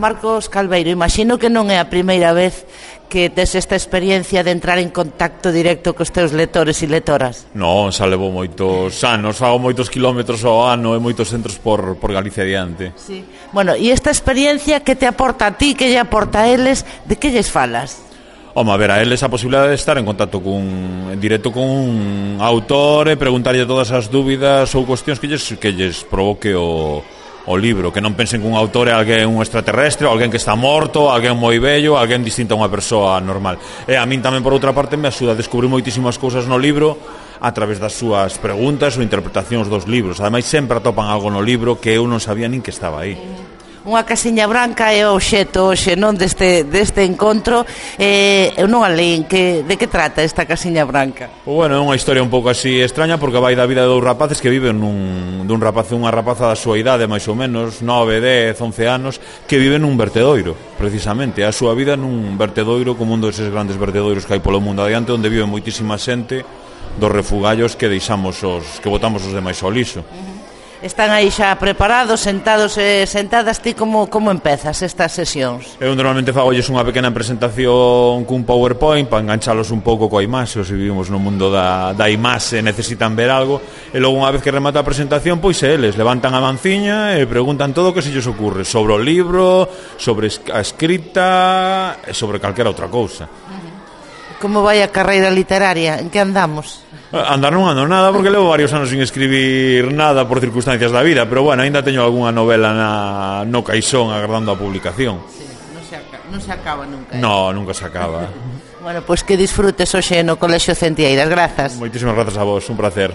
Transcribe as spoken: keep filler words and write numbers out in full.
Marcos Calveiro, imagino que non é a primeira vez que tes esta experiencia de entrar en contacto directo cos teus lectores e lectoras. Non, xa levo moitos anos, fago moitos kilómetros ao ano e moitos centros por, por Galicia adiante. Sí. Bueno, e esta experiencia que te aporta a ti, que lle aporta a eles, de que lles falas? Home, a ver, a eles a posibilidade de estar en contacto cun, en directo con un autor e preguntarlle todas as dúbidas ou cuestións que lles, que lles provoque o... o libro, que non pensen que un autor é alguén un extraterrestre, alguén que está morto, alguén moi bello, alguén distinto a unha persoa normal. E a min tamén, por outra parte, me axuda a descubrir moitísimas cousas no libro a través das súas preguntas ou interpretacións dos libros. Ademais, sempre atopan algo no libro que eu non sabía nin que estaba aí. Unha casiña branca é o obxecto hoxe, non, deste, deste encontro. eh, Eu non a leín, que, de que trata esta casiña branca? Bueno, é unha historia un pouco así extraña, porque vai da vida de dous rapaces que viven nun, dun rapaz e unha rapaza da súa idade, máis ou menos nove, dez, once anos, que viven nun vertedoiro, precisamente a súa vida nun vertedoiro, como un deses grandes vertedoiros que hai polo mundo adiante, onde vive moitísima xente dos refugallos que deixamos os, que botamos os demais ao lixo. Están aí xa preparados, sentados e sentadas. Ti como, como empezas estas sesións? Eu normalmente fagolles unha pequena presentación cun PowerPoint para enganchalos un pouco coa imaxe, se vivimos no mundo da, da imaxe e necesitan ver algo, e logo unha vez que remata a presentación, pois eles levantan a manciña e preguntan todo o que se lles ocurre sobre o libro, sobre a escrita e sobre calquera outra cousa. Como vai a carreira literaria? En que andamos? Andar non ando nada, porque levo varios anos sin escribir nada por circunstancias da vida, pero bueno, ainda teño algunha novela na, no caixón agardando a publicación. Sí, non se, acaba, non se acaba nunca. Eh? No, nunca se acaba. Bueno, pois pues que disfrutes hoxe no Colexio Centieiras. Grazas. Moitísimas grazas a vos, un placer.